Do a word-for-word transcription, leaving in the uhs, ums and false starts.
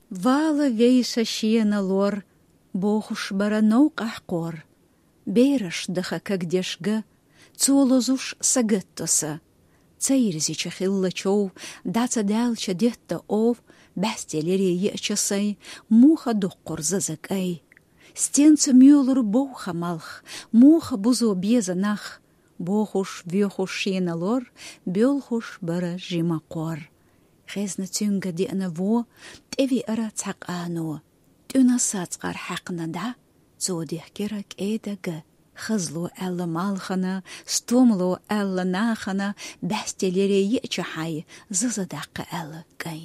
Вала вейша шена лор, бохуш бара новкъахь кхор. Бераш даха кагдеш га, цо лозуш сагатто са. Ца ирзича хилла чов, даца даьлча детта ов, баьстелере еача сай, муха дуккхур заза кӀай. Стенца муьлур бовха малх, муха бузо беза нах, бохуш, воьхуш шена лор, боьлхуш бара жима кхор. Хезна цуьнга деана во, тӀевиара цхьа къано. ТӀуьна сацкъар хьаькхна дӀа, цо дехкира кӀеда га. Хазло аьлла малхана, стомло аьлла нахана, баьстелере еача хьай, заза даккха аьлла кӀай.